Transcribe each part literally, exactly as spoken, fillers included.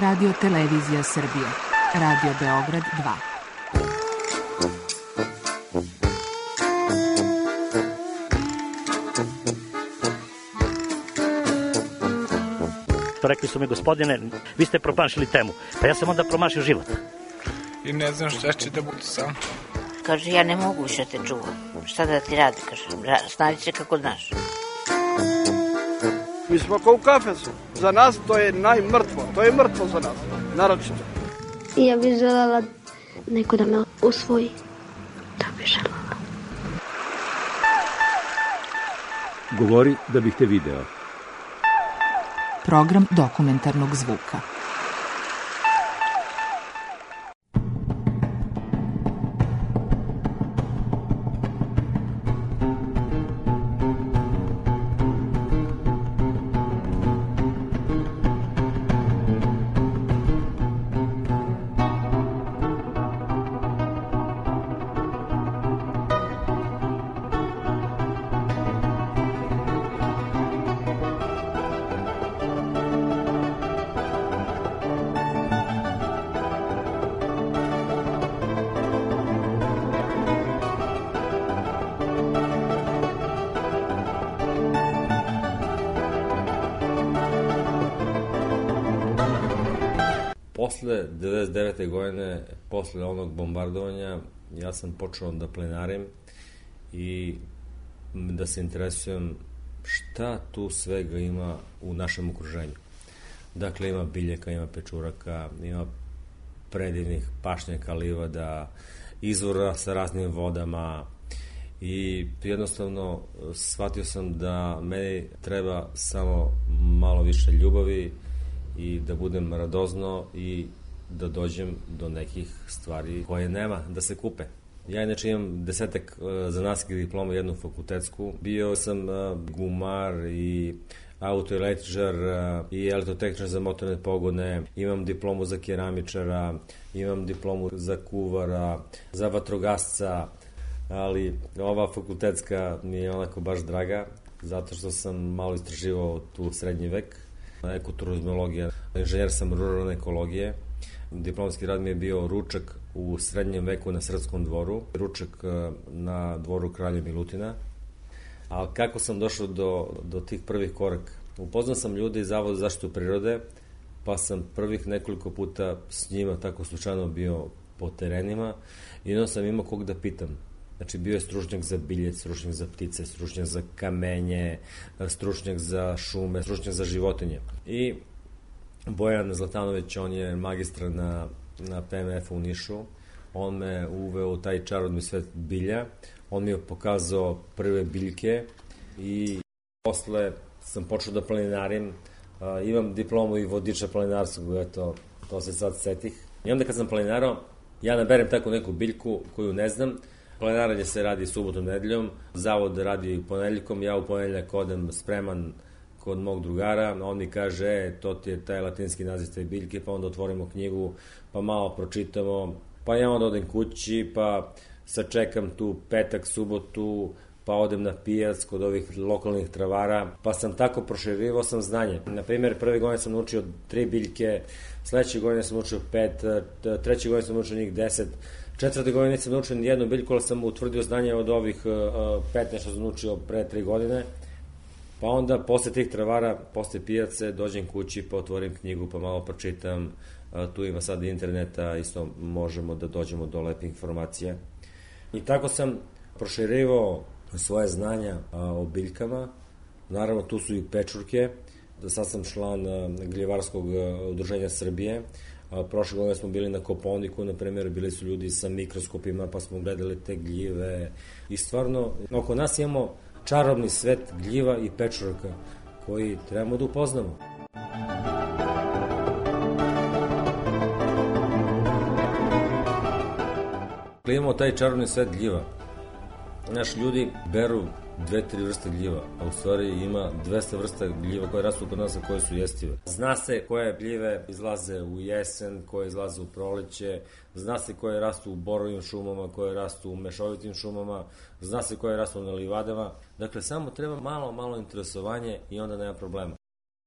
Radio Televizija Srbije. Radio Beograd dva. Rekli su mi, gospodine, vi ste promašili temu. Pa ja sam onda promašio život. I ne znam šta će da bude sam. Kaže, ja ne mogu više te čuvam. Šta da ti radi, kaže, snađi se kako znaš. Mi smo kao u kafesu. Za nas to je najmrtvo. To je mrtvo za nas, naročito. I ja bih želela neko da me usvoji. Da bih želela. Govori da bih te video. Program dokumentarnog zvuka. Posle devedeset devete godine, posle onog bombardovanja, ja sam počeo da plenarim i da se interesujem šta tu svega ima u našem okruženju. Dakle, ima biljaka, ima pečuraka, ima predivnih pašnjaka, livada, izvora sa raznim vodama i jednostavno shvatio sam da meni treba samo malo više ljubavi i da budem radozno i da dođem do nekih stvari koje nema da se kupe. Ja inače imam desetak zanatskih diploma, jednu fakultetsku. Bio sam gumar i autoelektričar i elektrotehničar za motorne pogone, imam diplomu za keramičara, imam diplomu za kuvara, za vatrogasca, ali ova fakultetska mi je onako baš draga, zato što sam malo istraživao tu srednji vek, ekoturizmologija, inženjer sam ruralne ekologije. Diplomski rad mi je bio ručak u srednjem veku na Srpskom dvoru, ručak na dvoru kralja Milutina. Ali kako sam došao do, do tih prvih koraka? Upoznao sam ljude iz Zavoda za zaštitu prirode, pa sam prvih nekoliko puta s njima tako slučajno bio po terenima i onda sam imao kog da pitam. Znači, bio je stručnjak za biljec, stručnjak za ptice, stručnjak za kamenje, stručnjak za šume, stručnjak za životinje. I Bojan Zlatanović, on je magistar na, na P M F-u u Nišu, on me uveo u taj čarodni svet bilja, on mi je pokazao prve biljke i posle sam počeo da planinarim, uh, imam diplomu i vodiča planinarskog, eto, to se sad setih. I onda kad sam planinarao, ja naberem tako neku biljku koju ne znam. Planinaranje se radi subotom, nedeljom, zavod radi ponedeljkom, ja u ponedeljak odem spreman kod mog drugara, on mi kaže, e, to ti je taj latinski naziv te biljke, pa onda otvorimo knjigu, pa malo pročitamo, pa ja onda odem kući, pa sačekam tu petak, subotu, pa odem na pijac kod ovih lokalnih travara, pa sam tako proširivao sam znanje. Na primjer, prve godine sam naučio tri biljke, sledeće godine sam naučio pet, treće godine sam naučio njih deset, četvrte godine nisam naučio ni jednu biljku, ali sam utvrdio znanje od ovih petnaest što sam naučio pre tri godine. Pa onda, posle tih travara, posle pijace, dođem kući, pa otvorim knjigu, pa malo pročitam. Tu ima sad interneta, isto možemo da dođemo do lepih informacija. I tako sam proširivao svoje znanja o biljkama. Naravno, tu su i pečurke. Sad sam član Gljivarskog udruženja Srbije. Prošle godine smo bili na Kopaoniku, na primjer, bili su ljudi sa mikroskopima, pa smo gledali te gljive. I stvarno, oko nas imamo čarobni svet gljiva i pečuraka koji trebamo da upoznamo. Imamo taj čarobni svet gljiva. Naši ljudi beru dve, tri vrste gljiva, a u stvari ima dvesta vrsta gljiva koje rastu kod nas, a koje su jestive. Zna se koje gljive izlaze u jesen, koje izlaze u proleće, zna se koje rastu u borovim šumama, koje rastu u mešovitim šumama, zna se koje rastu na livadama. Dakle, samo treba malo, malo interesovanje i onda nema problema.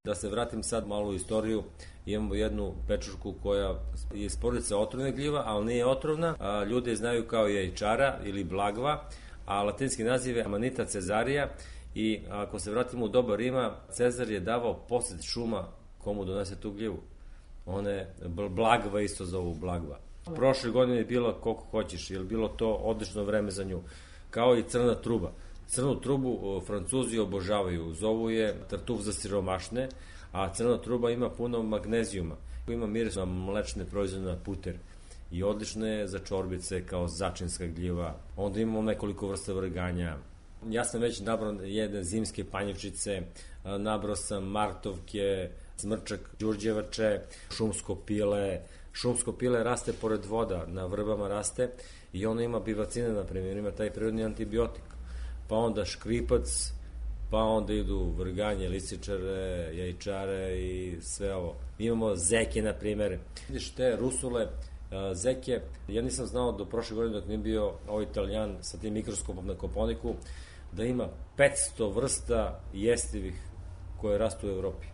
Da se vratim sad malo u istoriju, imamo jednu pečurku koja je iz porodice otrovne gljiva, ali nije otrovna, a ljudi je znaju kao jajčara ili blagva, a latinski naziv je Amanita cezarija i ako se vratimo u doba Rima, Cezar je davao posed šuma komu donese tu gljivu. One blagva isto zovu blagva. Prošle godine je bilo koliko hoćeš, jer bilo to odlično vreme za nju, kao i crna truba. Crnu trubu Francuzi obožavaju, zovu je tartuf za siromašne, a crna truba ima puno magnezijuma, ima miris na mlečne proizvode na puter i odlično je za čorbice kao začinska gljiva. Onda imamo nekoliko vrsta vrganja. Ja sam već nabrao jedne zimske panjevčice, nabrao sam martovke, smrčak, đurđevače, šumsko pile. Šumsko pile raste pored voda, na vrbama raste i ono ima bivacine, na primjer, ima taj prirodni antibiotik. Pa onda škripac, pa onda idu vrganje, lisičare, jajčare i sve ovo. Imamo zeke, na primjer. Vidiš te rusule, zeke, ja nisam znao do prošle godine dok nije bio ovaj Italijan sa tim mikroskopom na Koponiku, da ima petsto vrsta jestivih koje rastu u Evropi.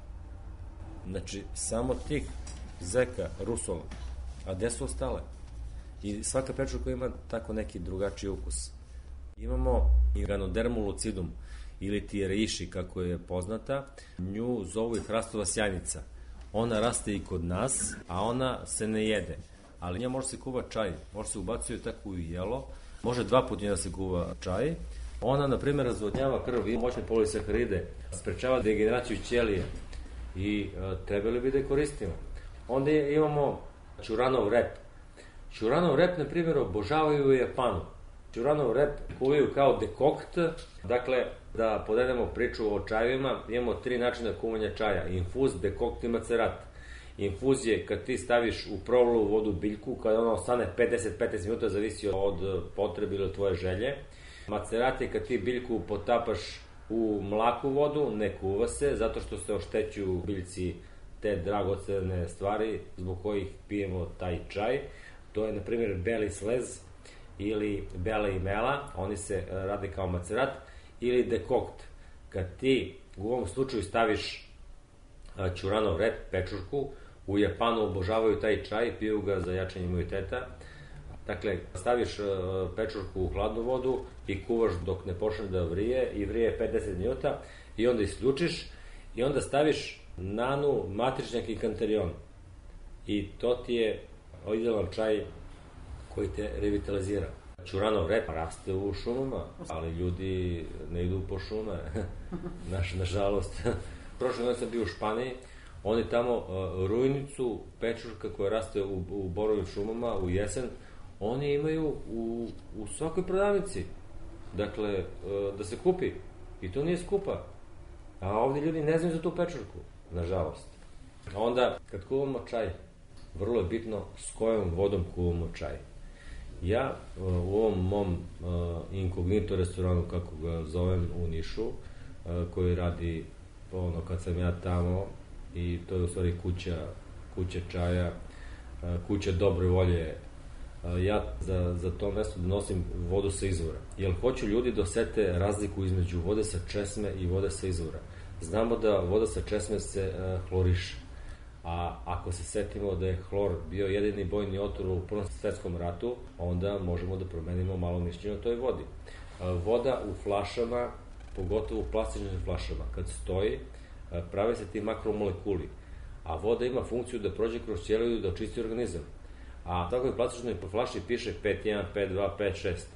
Znači, samo tih zeka, rusula. A gde su ostale? I svaka pečurka ima tako neki drugačiji ukus. Imamo i Ganodermu lucidum, ili ti reiši, kako je poznata. Nju zovu i hrastova sjajnica. Ona raste i kod nas, a ona se ne jede. Ali nja može se kuva čaj, može se ubacuje tako u jelo, može dva puta da se kuva čaj. Ona, na primjer, razvodnjava krv i moćne polisaharide, sprečava degeneraciju ćelije i e, trebali bi da je koristimo. Onda imamo ćuranov rep. Ćuranov rep, na primjer, obožavaju u Japanu. Ćuranov rep kuvaju kao dekokt, dakle, da podedemo priču o čajevima, imamo tri načina kuvanja čaja, infuz, dekokt i macerat. Infuz je kad ti staviš u provlalu vodu biljku, kada ona ostane pedeset do petnaest minuta, zavisi od potrebe ili od tvoje želje. Macerat je kad ti biljku potapaš u mlaku vodu, ne kuva se, zato što se oštećuju biljci te dragocene stvari zbog kojih pijemo taj čaj. To je, na primjer, beli slez ili bela imela, oni se rade kao macerat, ili dekokt. Kad ti u ovom slučaju staviš ćuranov rep, pečurku, u Japanu obožavaju taj čaj, piju ga za jačanje imuniteta. Dakle, staviš pečurku u hladnu vodu i kuvaš dok ne počne da vrije i vrije pet do deset minuta i onda isključiš i onda staviš nanu, matričnjak i kanterion. I to ti je idealan čaj koji te revitalizira. Ćuranov rep raste u šumama, ali ljudi ne idu po šume, Naš, nažalost. Prošle godine sam bio u Španiji, oni tamo uh, rujnicu, pečurka koja raste u, u borovim šumama u jesen, oni imaju u, u svakoj prodavnici. Dakle, uh, da se kupi. I to nije skupa. A ovdje ljudi ne znaju za tu pečurku, nažalost. A onda, kad kuvamo čaj, vrlo je bitno s kojom vodom kuvamo čaj. Ja uh, u ovom mom uh, inkognito restoranu, kako ga zovem u Nišu, uh, koji radi ono kad sam ja tamo, i to je u stvari kuća, kuća čaja, kuća dobre volje. Ja za, za to mesto donosim vodu sa izvora. Jer hoću ljudi da osete razliku između vode sa česme i vode sa izvora. Znamo da voda sa česme se uh, hloriše. A ako se setimo da je hlor bio jedini bojni otrov u Prvom svetskom ratu, onda možemo da promenimo malo mišljenje o toj vodi. Uh, voda u flašama, pogotovo u plastičnim flašama, kad stoji, prave se ti makromolekuli, a voda ima funkciju da prođe kroz ćeliju i da očisti organizam. A tako je plastičnoj flaši piše pet jedan, pet dva, pet šest.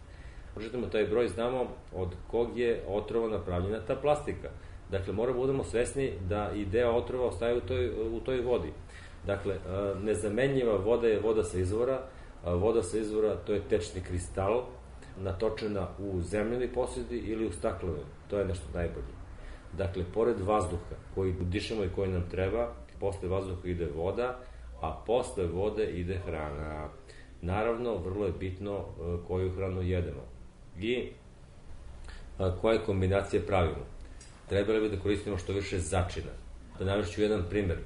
Pročitamo taj broj, znamo od kog je otrova napravljena ta plastika. Dakle, moramo budemo svesni da i deo otrova ostaje u toj, u toj vodi. Dakle, nezamenljiva voda je voda sa izvora. Voda sa izvora, to je tečni kristal, natočena u zemljeni posudi ili u staklenoj. To je nešto najbolje. Dakle, pored vazduha koji dišemo i koji nam treba, posle vazduha ide voda, a posle vode ide hrana. Naravno, vrlo je bitno koju hranu jedemo i koje kombinacije pravimo. Trebali bi da koristimo što više začina. Da navešću jedan primer.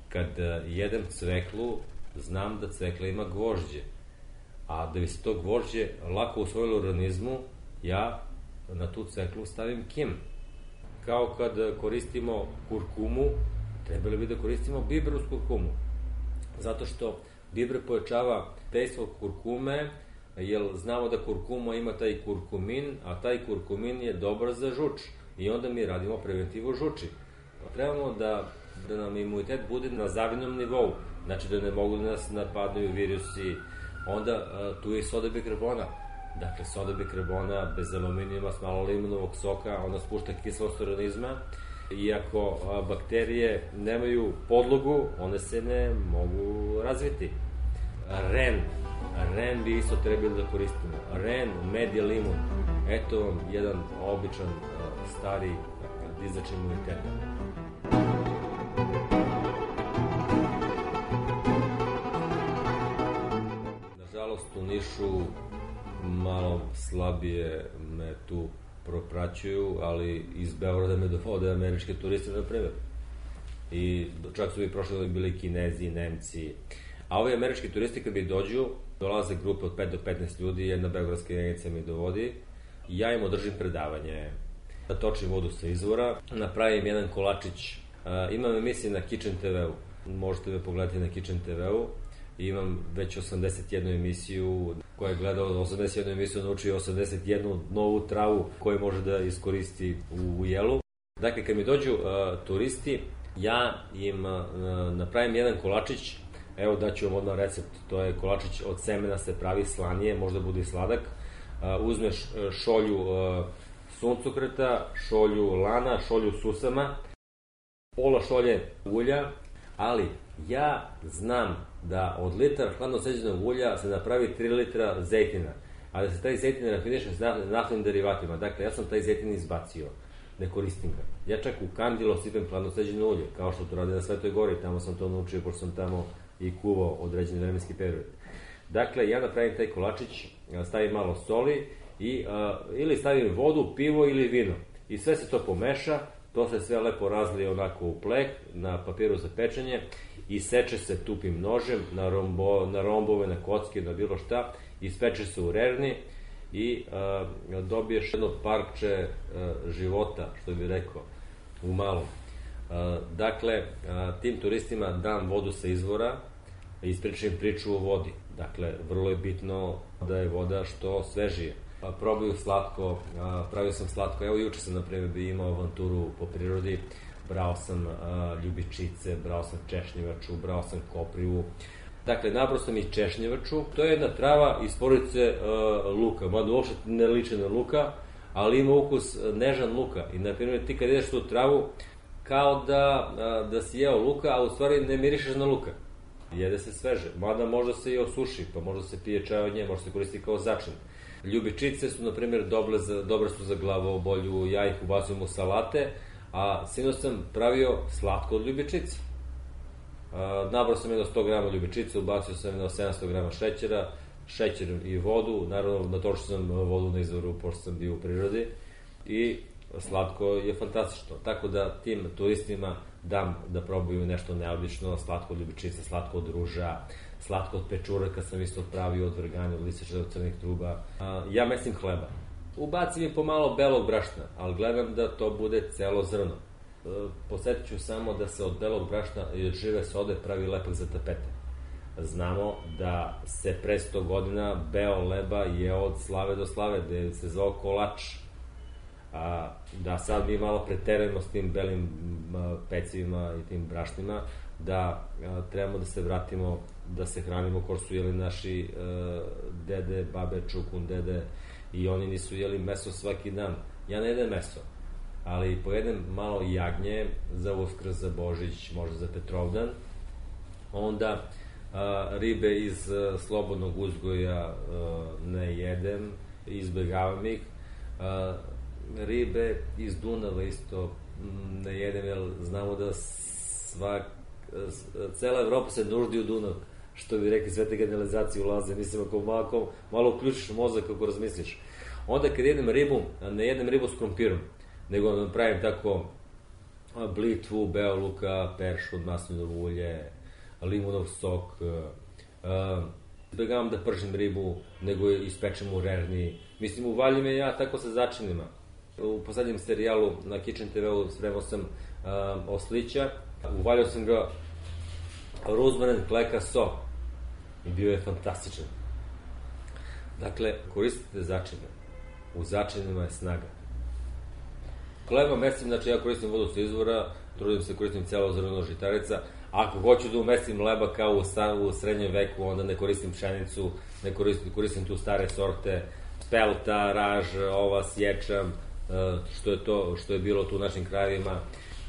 Kad jedem cveklu, znam da cvekla ima gvožđe, a da bi se to gvožđe lako usvojilo u organizmu, ja na tu cveklu stavim kim. Kao kad koristimo kurkumu trebali bi da koristimo biber uz kurkumu. Zato što biber pojačava dejstvo kurkume, jer znamo da kurkuma ima taj kurkumin, a taj kurkumin je dobar za žuč. I onda mi radimo preventivu žuči. Trebamo da, da nam imunitet bude na zavidnom nivou, znači da ne mogu da nas napadnuju virusi. Onda a, tu je i soda bikarbona. Dakle, soda bikarbona bez aluminijuma, s malo limunovog soka, ona spušta kiselost organizma. Iako a, bakterije nemaju podlogu, one se ne mogu razviti. Ren. Ren bi isto trebali da koristimo. Ren, med i limun. Eto vam jedan običan a, stari dizač imuniteta. Nažalost, u Nišu malo slabije me tu propraćuju, ali iz Beograda me dovode američke turiste, na primjer. I čak su bi prošle bili Kinezi, Nemci. A ovi američki turisti kad bi dođu, dolaze grupe od pet do petnaest ljudi, jedna beogradska jedinica mi dovodi, i ja im održim predavanje, da točim vodu sa izvora, napravim jedan kolačić. Imam emisije na Kitchen te ve u, možete me pogledati na Kitchen te ve u, i imam već osamdeset jednu emisiju, koja je gledao osamdeset jednu emisiju, naučio osamdeset jednu novu travu koju može da iskoristi u, u jelu. Dakle, kad mi dođu uh, turisti, ja im uh, napravim jedan kolačić. Evo daću vam odmah recept, to je kolačić od semena, se pravi slanije, možda bude i sladak. Uh, uzmeš šolju uh, suncokreta, šolju lana, šolju susama, pola šolje ulja, ali ja znam da od litar hladno sređenog ulja se napravi tri litra zejtina, a da se taj zejtin rafiniše s naftnim derivatima. Dakle, ja sam taj zejtin izbacio, ne koristim ga. Ja čak u kandilo sipem hladno sređeno ulje, kao što to rade na Svetoj Gori, tamo sam to naučio, pošto sam tamo i kuvao određeni vremenski period. Dakle, ja napravim taj kolačić, stavim malo soli, i, a, ili stavim vodu, pivo ili vino. I sve se to pomeša, to se sve lepo razlije onako u plek, na papiru za pečenje, i seče se tupim nožem na, rombo, na rombove, na kocke, na bilo šta, i speče se u rerni i a, dobiješ jedno parče a, života, što bi rekao, u malom. A, dakle, a, tim turistima dam vodu sa izvora, ispričam priču o vodi. Dakle, vrlo je bitno da je voda što svežije. A, probaju slatko, a, pravio sam slatko, evo juče sam, na primjer, bi imao avanturu po prirodi, brao sam a, ljubičice, brao sam češnjevaču, brao sam koprivu. Dakle, nabrao sam i češnjevaču. To je jedna trava iz porodice a, luka, mada uopšte ne liči na luka, ali ima ukus nežan luka. I, na primjer, ti kad ideš tu travu, kao da, a, da si jeo luka, a u stvari ne mirišeš na luka. Jede se sveže, mada možda se i osuši, pa možda se pije čaj od nje, možda se koristi kao začin. Ljubičice su, na primjer, dobre, za, dobre su za glavobolju, ja ih ubacujem u salate, a sinoć sam pravio slatko od ljubičice. Nabrao sam jedno sto grama ljubičice, ubacio sam jedno sedamsto grama šećera, šećer i vodu, naravno natočio sam vodu na izvoru, pošto sam bio u prirodi, i slatko je fantastično. Tako da tim turistima dam da probaju nešto neobično, slatko od ljubičice, slatko od ruža, slatko od pečuraka sam isto pravio, od vrganja, od listića, od crnih truba. Ja mesim hleba. Ubacim i pomalo belog brašna, ali gledam da to bude celo zrno. Posjetit ću samo da se od belog brašna i od žive sode pravi lepak za tapete. Znamo da se pre sto godina beo leba je od slave do slave, da se zvao kolač. A, da sad mi malo preterujemo s tim belim a, pecivima i tim brašnima, da a, trebamo da se vratimo, da se hranimo kao su jeli naši a, dede, babe, čukun, dede, i oni nisu jeli meso svaki dan. Ja ne jedem meso, ali pojedem malo jagnje za Uskrs, za Božić, možda za Petrovdan. Onda a, ribe iz a, slobodnog uzgoja a, ne jedem, izbegavam ih. A, ribe iz Dunava isto ne jedem, jer znamo da svak, cela Evropa se nuždi u Dunav, što bi rekli, sve te generalizacije ulaze. Mislim, ako malo, malo uključiš mozak kako razmisliš. Onda kad jedem ribu, ne jedem ribu s krompirom, nego napravim tako blitvu, beo luka, peršun, maslinovo ulje, limunov sok. Izbegavam da pržim ribu, nego ispečem u rerni. Mislim, uvaljim je ja tako sa začinima. U poslednjem serijalu na Kitchen te veu spremao sam uh, oslića. Uvaljao sam ga ruzmarin, kleka, so. I bio je fantastičan. Dakle, koristite začine. U začinima je snaga. Hleba mestim, znači ja koristim vodu sa izvora, trudim se koristim celo zrno žitarica. Ako hoću da umestim hleba kao u, star, u srednjem veku, onda ne koristim pšenicu, ne koristim, koristim tu stare sorte, spelta, raž, ovas, ječam, što je to, što je bilo tu u našim krajevima.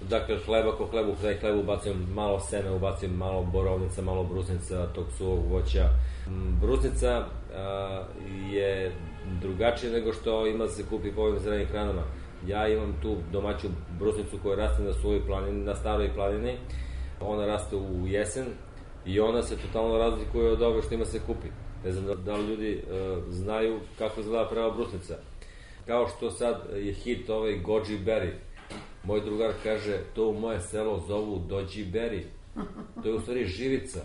Dakle, hleba ko hlebu, taj hlebu ubacim malo seme, ubacim malo borovnica, malo brusnica, tog suvog voća. Brusnica a, je drugačije nego što ima da se kupi po ovim zelenim hranama. Ja imam tu domaću brusnicu koja raste na svojoj planini, na staroj planini. Ona raste u jesen i ona se totalno razlikuje od ove što ima se kupi. Ne znam da li ljudi e, znaju kako izgleda prava brusnica. Kao što sad je hit ovaj goji berry. Moj drugar kaže, to u moje selo zovu dođi berry. To je u stvari živica.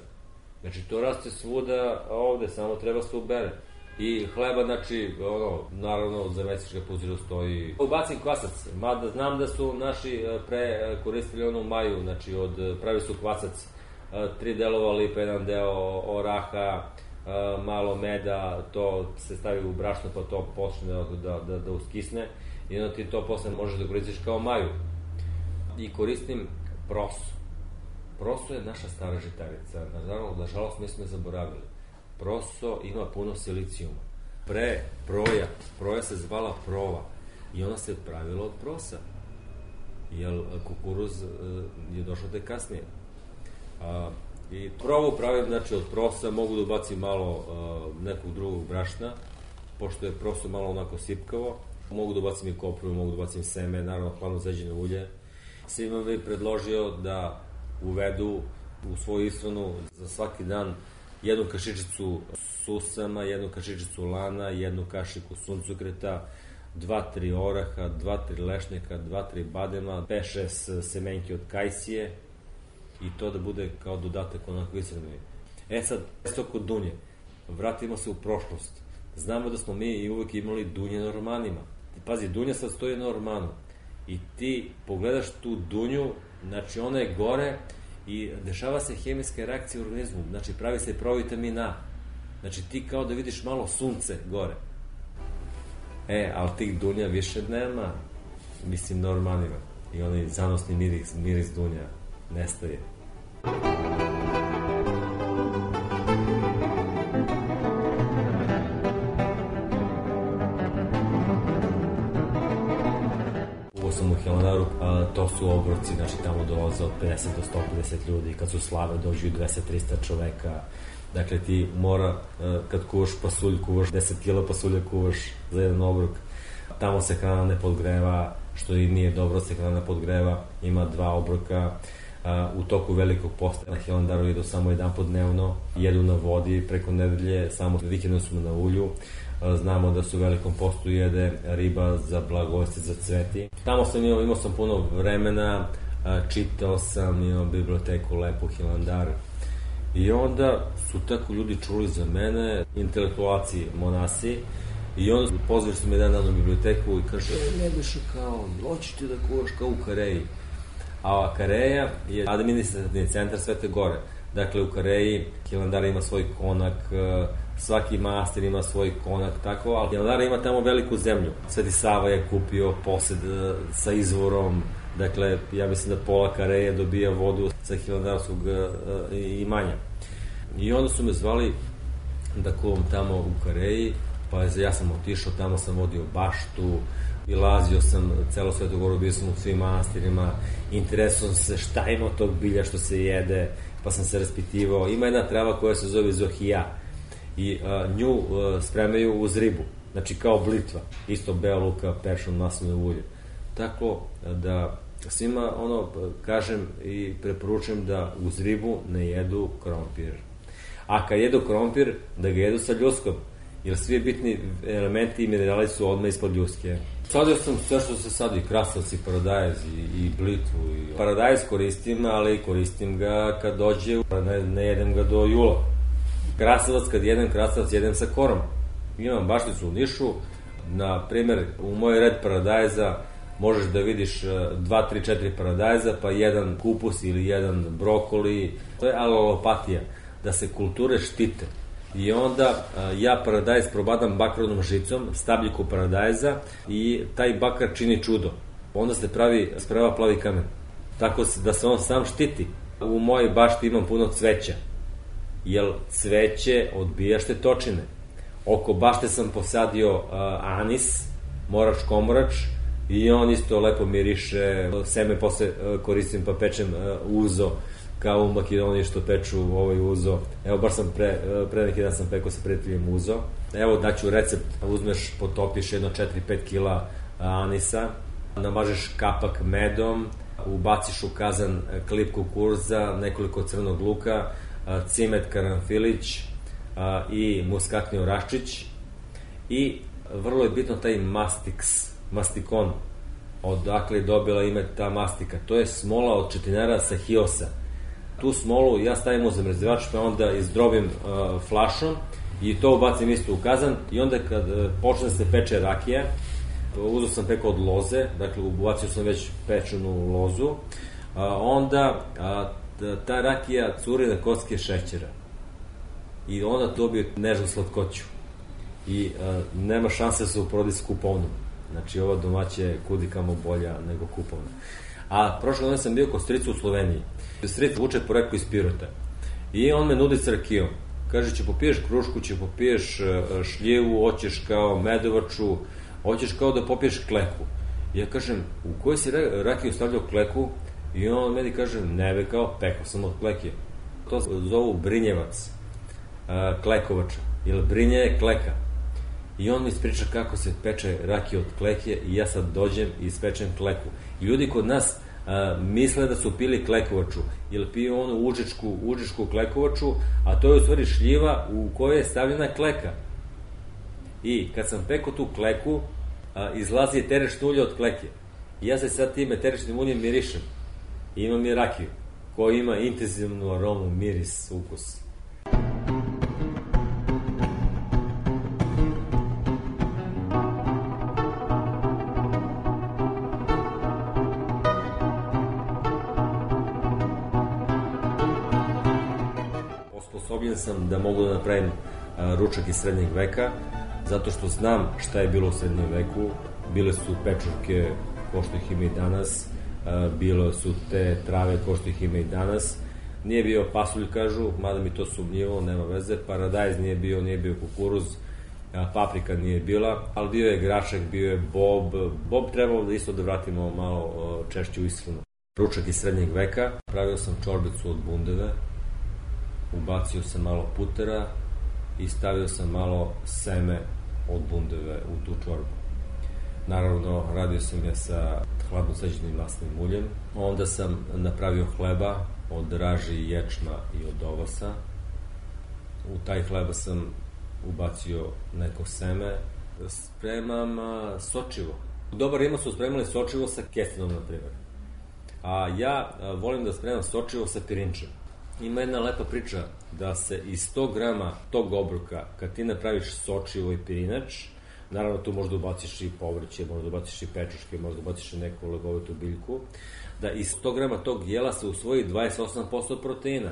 Znači, to raste svuda ovde, samo treba se ubere. I hleba, znači, ono, naravno, za meksička puziru stoji. Ubacim kvasac, mada znam da su naši pre koristili onu maju, znači, od, pravi su kvasac, tri delova lipa, jedan deo oraha, malo meda, to se stavi u brašno pa to počne da, da, da uskisne i onda ti to posle možeš da koristiš kao maju. I koristim prosu. Proso je naša stara žitarica, nažalost, nažalost mi smo je zaboravili. Proso ima puno silicijuma. Pre proja, proja se zvala prova i ona se pravila od prosa, jer kukuruz je došao te kasnije. A, I provu pravim, znači, od prosa, mogu da ubacim malo uh, nekog drugog brašna, pošto je prosto malo onako sipkavo. Mogu da ubacim i kopru, mogu da ubacim seme, naravno hladno zeđeno ulje. Svima bih predložio da uvedu u svoju ishranu za svaki dan jednu kašičicu susama, jednu kašičicu lana, jednu kašiku suncokreta, dva, tri oraha, dva, tri lešnjaka, dva, tri badema, pet, šest semenke od kajsije, i to da bude kao dodatak onako ishrani. E sad, isto kod dunje, vratimo se u prošlost. Znamo da smo mi i uvek imali dunje na ormanima. Pazi, dunja sad stoji na ormanu i ti pogledaš tu dunju, znači ona je gore i dešava se hemijska reakcija u organizmu, znači pravi se provitamin A. Znači ti kao da vidiš malo sunce gore. E, ali tih dunja više nema, mislim, na ormanima. I onaj zanosni miris, miris dunja nestaje. Ovo sam u Hilandaru, a, to su obroci, znači tamo dolaze od pedeset do sto pedeset ljudi, kad su slave dođu dvesta do trista čoveka. Dakle, ti mora, kad kuvaš pasulj, kuvaš deset kila pasulja, kuvaš za jedan obrok. Tamo se hrana ne podgreva, što i nije dobro, se hrana podgreva, ima dva obroka. U toku velikog posta na Hilandaru jedu samo jedan put dnevno, jedu na vodi preko nedelje, samo vikendom smo na ulju. Znamo da su u velikom postu jede riba za blagosti, za cveti. Tamo sam imao, imao sam puno vremena, čitao sam, imao biblioteku lepu Hilandar. I onda su tako ljudi čuli za mene, intelektualci, monasi, i onda pozvali su me jedan dan u biblioteku i kaže, e, ne biš kao, hoćeš ti da kuvaš kao u Kareji. A Kareja je administrativni centar Svete Gore. Dakle, u Kareji Hilandar ima svoj konak, svaki manastir ima svoj konak, tako, ali Hilandar ima tamo veliku zemlju. Sveti Sava je kupio posed sa izvorom, dakle, ja mislim da pola Kareje dobija vodu sa hilandarskog imanja. I onda su me zvali da kuvam tamo u Kareji, pa ja sam otišao, tamo sam vodio baštu, ilazio sam celo Svetu Goru, bio sam u svim manastirima, interesujem se šta ima od tog bilja što se jede, pa sam se raspitivao. Ima jedna trava koja se zove zohija i a, nju a, spremaju uz ribu, znači kao blitva, isto beo luka, peršun, maslinovo ulje. Tako da svima ono kažem i preporučujem da uz ribu ne jedu krompir. A kad jedu krompir, da ga jedu sa ljuskom, jer svi bitni elementi i minerali su odmah ispod ljuske. Sadio sam sve što se sadi, krasavac i paradajz i, i blitvu. I... Paradajz koristim, ali koristim ga kad dođe, ne, ne jedem ga do jula. Krasavac, kad jedem krasavac, jedem sa korom. Imam bašticu u Nišu, Na primjer, u moj red paradajza možeš da vidiš dva, tri, četiri paradajza, pa jedan kupus ili jedan brokoli. To je alelopatija, da se kulture štite. I onda ja paradajz probadam bakrovnom žicom, stabljiku paradajza i taj bakar čini čudo. Onda se pravi spreva plavi kamen. Tako da se on sam štiti. U mojoj bašti imam puno cveća, jer cveće odbija štetočine. Oko bašte sam posadio uh, anis, morač komorač, i on isto lepo miriše. Seme posle uh, koristim pa pečem uh, uzo, kao u Makedoniji što peču ovaj uzo. Evo, baš sam pre, uh, pre neki dan sam pekao sa prijateljem uzo. Evo, daću recept, uzmeš, potopiš jedno četiri do pet kila anisa, namažeš kapak medom, ubaciš u kazan klip kukuruza, nekoliko crnog luka, cimet, karanfilić i muskatni oraščić. I vrlo je bitno taj mastiks, mastikon, odakle je dobila ime ta mastika. To je smola od četinara sa hiosa. Tu smolu ja stavim u zamrzivač, pa onda izdrobim uh, flašom i to ubacim isto u kazan, i onda kad uh, počne se peče rakija, uzeo sam peko od loze, dakle ubacio sam već pečenu lozu, a, onda a, ta rakija curi na kocke šećera i onda dobije nežnu slatkoću i a, nema šanse da se uporodi s kupovnom. Znači ova domaća je kudikamo bolja nego kupovna. A prošle godine sam bio kod strica u Sloveniji. Stric vuče poreklo iz Pirota i on me nudi s rakijom. Kaže, će popiješ krušku, će popiješ šljivu, hoćeš kao medovaču, hoćeš kao da popiješ kleku. Ja kažem, u kojoj si rakiju stavljao kleku? I on meni kaže, ne be, kao pekao sam od kleke. To zovu brinjevac, klekovača, jer brinje je kleka. I on mi ispriča kako se peče rakija od kleke i ja sad dođem i ispečem kleku. I ljudi kod nas a, misle da su pili klekovaču, jer piju onu užičku, užičku klekovaču, a to je u stvari šljiva u kojoj je stavljena kleka. I kad sam pekao tu kleku, a, izlazi terešno ulje od kleke. I ja se sad time terešnim uljem mirišem. I imam i rakiju, koja ima intenzivnu aromu, miris, ukus. Osposobljen sam da mogu da napravim a, ručak iz srednjeg veka, zato što znam šta je bilo u srednjem veku. Bile su pečurke ko što ih ima i danas, bilo su te trave ko što ih ima i danas. Nije bio pasulj, kažu, mada mi to sumnjivo, nema veze. Paradajz nije bio, nije bio kukuruz, paprika nije bila, ali bio je grašak, bio je bob. Bob trebalo da isto da vratimo malo češće u ishranu. Ručak iz srednjeg veka, pravio sam čorbicu od bundeve, ubacio sam malo putera i stavio sam malo seme od bundeve u tu čorbu. Naravno, radio sam je sa hladno seđenim masnim uljem. Onda sam napravio hleba od raži, ječma i od ovasa. U taj hleba sam ubacio neko seme. Spremam sočivo. Dobar Rima su spremali sočivo sa kestinom, na primjer. A ja volim da spremam sočivo sa pirinčem. Ima jedna lepa priča da se iz sto grama tog obroka, kad ti napraviš sočivo i pirinač, naravno tu možda ubaciš i povrće, možda ubaciš i pečuške, možda ubaciš i neku legovitu biljku, da iz sto grama tog jela se usvoji dvadeset osam posto proteina.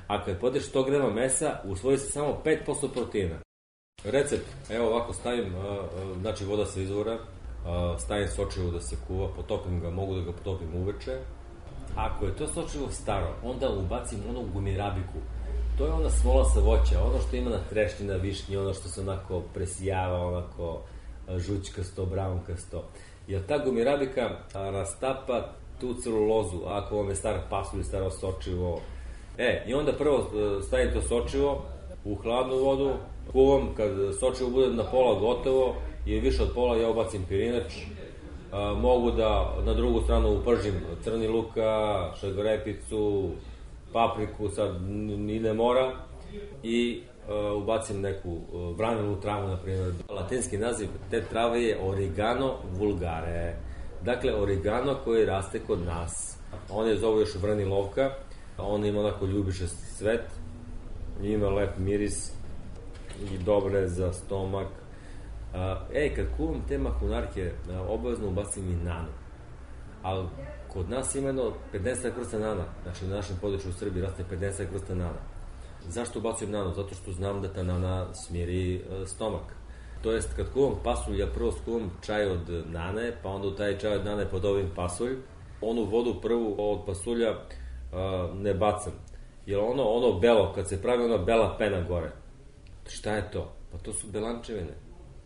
A kad podeš sto grama mesa, usvoji se samo pet posto proteina. Recept, evo ovako stavim, znači voda sa izvora, stavim sočivo da se kuva, potopim ga, mogu da ga potopim uveče. Ako je to sočivo staro, onda ubacim onu gumirabiku. To je ona smola sa voća, ono što ima na trešnji, na višnji, ono što se onako presijava, onako žućkasto, brownkasto. Jer ta gumirabika rastapa tu celulozu, ako vam je star pasulj ili staro sočivo. E, i onda prvo stavim to sočivo u hladnu vodu, kuvam, kad sočivo bude na pola gotovo i više od pola ja ubacim pirinač. A, mogu da na drugu stranu upržim crni luka, šegorepicu, papriku, sad ni ne mora, i uh, ubacim neku uh, vranjenu travu, na primjer. Latinski naziv te trave je Origano vulgare. Dakle, origano koji raste kod nas. On je zovu još vranilovka, on ima onako ljubičast cvet, ima lep miris i dobre za stomak. E, kad kuvam te mahunarke, obavezno ubacim i nanu. Ali kod nas ima jedno pedeset vrsta nana, znači na našem području u Srbiji raste pedeset vrsta nana. Zašto ubacujem nanu? Zato što znam da ta nana smiri stomak. To jest, kad kuvam pasulj, ja prvo skuvam čaj od nane, pa onda u taj čaj od nane podobim pasulj. Onu vodu prvu od pasulja uh, ne bacam. Jer ono, ono belo, kad se pravi ona bela pena gore, šta je to? Pa to su belančevine.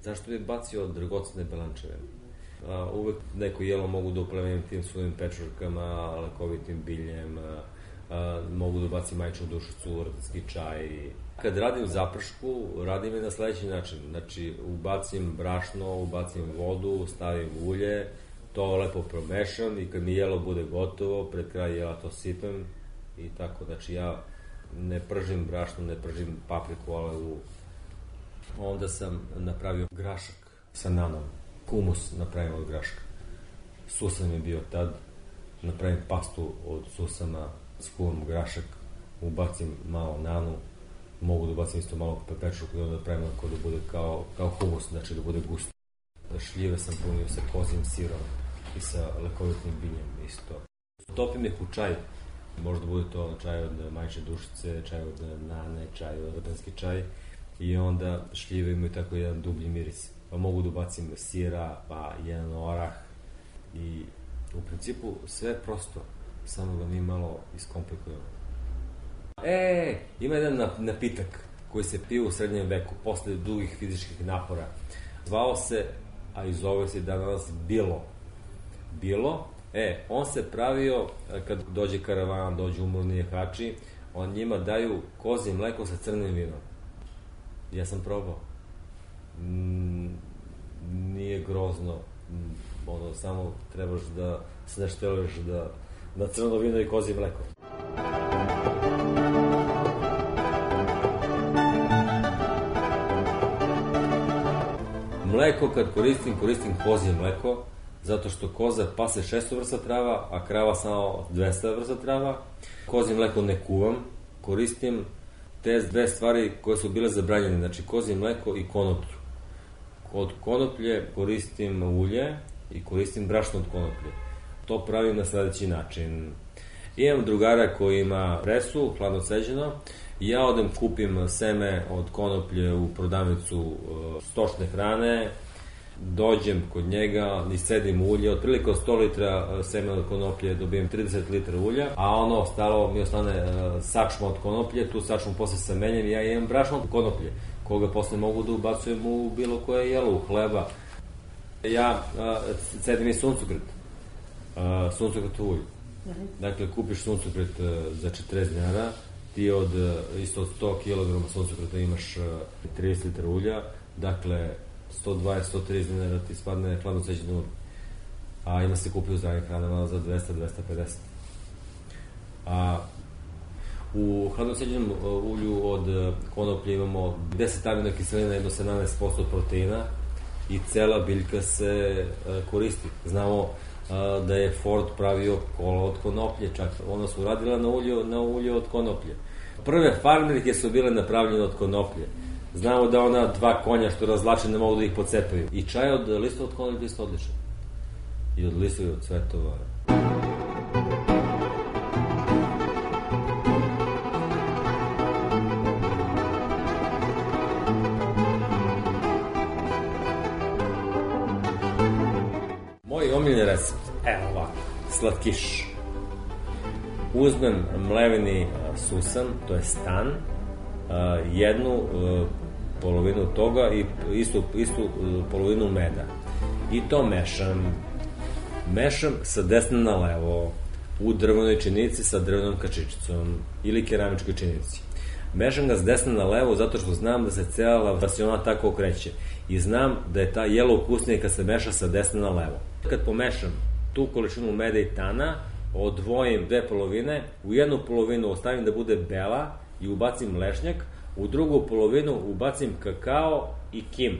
Zašto bi bacio dragocene belančevine? Uh, uvek neko jelo mogu da uplemenim tim svojim pečurkama, lekovitim biljem, uh, uh, mogu da ubacim majčinu dušicu, rtatski čaj. Kad radim zapršku, radim je na sledeći način. Znači, ubacim brašno, ubacim vodu, stavim ulje, to lepo promešam i kad mi jelo bude gotovo, pred kraj jela to sipem i tako. Znači, ja ne pržim brašno, ne pržim papriku, ali u... Onda sam napravio grašak sa nanom. Humus napravim od graška. Susan je bio tad. Napravim pastu od susana, skuvam grašak, ubacim malo nanu, mogu da ubacim isto malo pepečurku i onda pravim ako da bude kao, kao humus, znači da bude gusto. Šljive sam punio sa kozim sirom i sa lekovitim biljem isto. Topim ih u čaj. Možda bude to čaj od majčine dušice, čaj od nane, čaj od rtanski čaj. I onda šljive imaju tako jedan dublji miris. Pa mogu da ubacim sira, pa jedan orah. I u principu sve je prosto, samo da mi malo iskomplikujemo. E, ima jedan napitak koji se pio u srednjem veku, posle dugih fizičkih napora. Zvao se, a i zove se danas bilo. Bilo, e, on se pravio, kad dođe karavan, dođe umorni jehači, on njima daju kozje mleko sa crnim vinom. Ja sam probao. Mm, nije grozno, mm, ono, samo trebaš da se ne šteluješ da na crno vino i kozje mleko. Mleko kad koristim, koristim kozje mleko, zato što koza pase šesto vrsta trava, a krava samo dvesta vrsta trava. Kozje mleko ne kuvam, koristim te dve stvari koje su bile zabranjene, znači kozje mleko i konoplju. Od konoplje koristim ulje i koristim brašno od konoplje. To pravim na sledeći način. Imam drugara koji ima presu, hladno ceđeno, i ja odem kupim seme od konoplje u prodavnicu stočne hrane, dođem kod njega, iscedim ulje, otprilike od sto litra semena od konoplje dobijem trideset litra ulja, a ono ostalo mi ostane sačma od konoplje, tu sačmu posle samenjem i ja imam brašno od konoplje, koga posle mogu da ubacujem u bilo koje jelo, u hleba. Ja cedim i suncokret, suncokret ulje. Dakle, kupiš suncokret za četrdeset dinara, ti od isto od sto kilograma suncokreta imaš trideset litra ulja, dakle sto dvadeset do sto trideset dinara ti spadne hladno ceđeno ulje. A ima se kupi u zdravim hranama za dvesta do dvesta pedeset. A u hladno ceđenom ulju od konoplje imamo deset aminokiselina, jedno sedamnaest posto proteina i cela biljka se koristi. Znamo da je Ford pravio kola od konoplje, čak ona su radila na ulju, na ulju od konoplje. Prve farmerke su bile napravljene od konoplje. Znamo da ona dva konja što razlače ne mogu da ih pocepaju. I čaj od lista od konoplje isto odličan. I od lista i od cvetova. Moj omiljeni recept, evo ovako, slatkiš. Uzmem mleveni susan, to je stan, jednu polovinu toga i istu, istu polovinu meda. I to mešam. Mešam sa desna na levo, u drvenoj činici sa drvenom kačičicom ili keramičkoj činici. Mešam ga s desna na levo zato što znam da se cela versiona tako okreće. I znam da je ta jelo ukusnije kad se meša sa desna na levo. Kad pomešam tu količinu meda i tana, odvojim dve polovine, u jednu polovinu ostavim da bude bela i ubacim lešnjak, u drugu polovinu ubacim kakao i kim.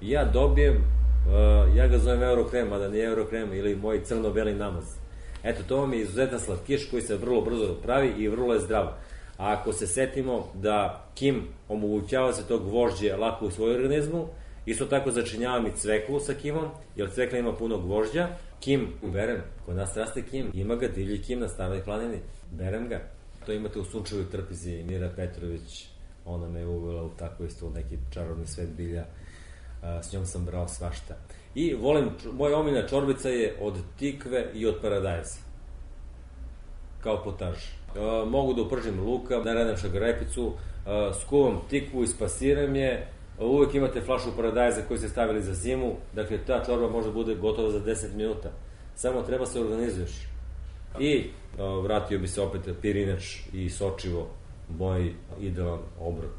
I ja dobijem, uh, ja ga zovem eurokrem, a da nije eurokrem ili moj crno-beli namaz. Eto, to vam je izuzetan slatkiš koji se vrlo brzo pravi i vrlo je zdrav. A ako se setimo da kim omogućava se to gvožđe lako u svoj organizmu Isto tako začinjavam i cveklu sa kimom, jer cvekla ima puno gvožđa. Kim uberem, kod nas raste kim, ima ga divlji kim na Staroj planini, berem ga. To imate u Sunčevoj trpizi, Mira Petrović, ona me uvela u tako isto u neki čarobni svet bilja, s njom sam brao svašta. I volim, moja omiljena čorbica je od tikve i od paradajza, kao potaž. Mogu da upržim luka, da radem šagarepicu, skuvam tikvu, ispasiram je, uvek imate flašu paradajza koju ste stavili za zimu, dakle ta čorba može bude gotova za deset minuta. Samo treba se organizuješ. I o, vratio bi se opet pirinač i sočivo, moj idealan obrok.